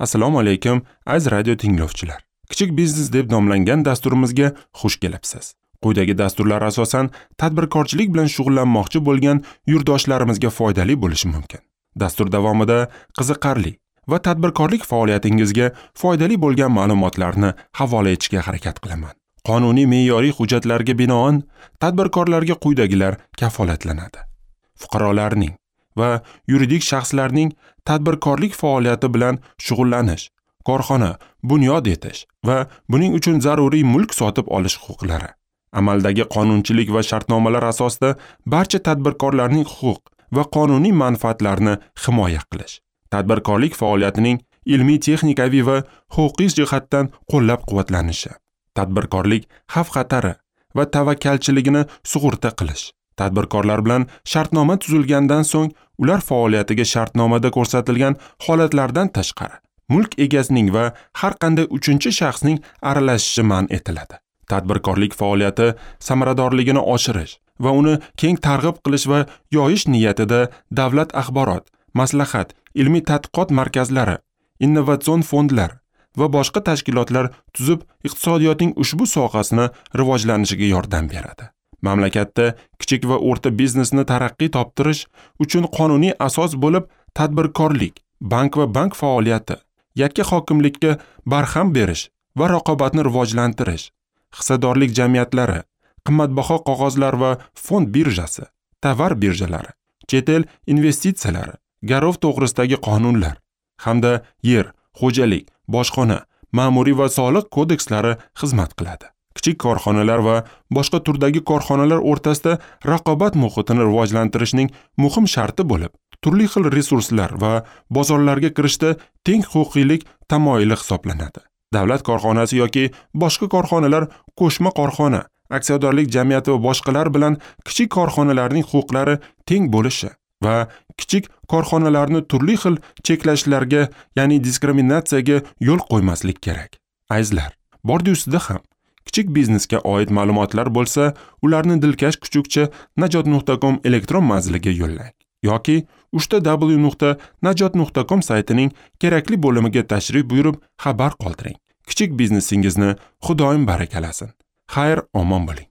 Assalomu alaykum, aziz radio tinglovchilar. Kichik biznes deb nomlangan dasturimizga xush kelibsiz. Quyidagi dasturlar asosan tadbirkorchilik bilan shug'ullanmoqchi bo'lgan yurtdoshlarimizga foydali bo'lishi mumkin. Dastur davomida qiziqarli va tadbirkorlik faoliyatingizga foydali bo'lgan ma'lumotlarni havola etishga harakat qilaman. Qonuniy me'yoriy hujjatlarga binoan tadbirkorlarga quyidagilar kafolatlanadi. Fuqarolarning va yuridik shaxslarning tadbirkorlik faoliyati bilan shug'ullanish, korxona bunyod etish va buning uchun zaruriy mulk sotib olish huquqlari. Amaldagi qonunchilik va shartnomalar asosida barcha tadbirkorlarning huquq va qonuniy manfaatlarini himoya qilish. Tadbirkorlik faoliyatining ilmiy, texnikaviy va huquqiy jihatdan qo'llab-quvvatlanishi. Tadbirkorlik xavf-xatari va tavakkalchiligini sug'urta qilish. Tadbirkorlar bilan shartnoma tuzilgandan so'ng ular faoliyatiga shartnomada ko'rsatilgan holatlardan tashqari mulk egasining va har qanday uchinchi shaxsning aralashishi man etiladi. Tadbirkorlik faoliyati samaradorligini oshirish va uni keng targ'ib qilish va yoyish niyatida davlat axborot, maslahat, ilmiy tadqiqot markazlari, innovatsion fondlar va boshqa tashkilotlar tuzib, iqtisodiyotning ushbu sohasini rivojlanishiga yordam beradi. Mamlakatda kichik va o'rta biznesni taraqqiy toptirish uchun qonuniy asos bo'lib tadbirkorlik, bank va bank faoliyati, yakka hokimlikka barham berish va raqobatni rivojlantirish, hissadorlik jamiyatlari, qimmatbaho qog'ozlar va fond birjasi, tovar birjalari, chet el investitsiyalari, garov to'g'risidagi qonunlar hamda yer, xo'jalik, bojxona, ma'muriy va soliq kodekslari xizmat qiladi. Kichik korxonalar va boshqa turdagi korxonalar o'rtasida raqobat muhitini rivojlantirishning muhim sharti bo'lib, turli xil resurslar va bozorlarga kirishda teng huquqiylik tamoyili hisoblanadi. Davlat korxonasi yoki boshqa korxonalar qo'shma korxona, aksiyadorlik jamiyati va boshqalar bilan kichik korxonalarning huquqlari teng bo'lishi va kichik korxonalarni turli xil cheklashlarga, ya'ni diskriminatsiyaga yo'l qo'ymaslik kerak. Azizlar, bordi ustida ham kichik biznesga oid ma'lumotlar bo'lsa, ularni dilkash kuchukcha najot.com elektron manziliga yo'llang yoki www.najot.com saytining kerakli bo'limiga tashrif buyurib xabar qoldiring. Kichik biznesingizni Xudoyim barakalasin. Xayr, omon bo'ling.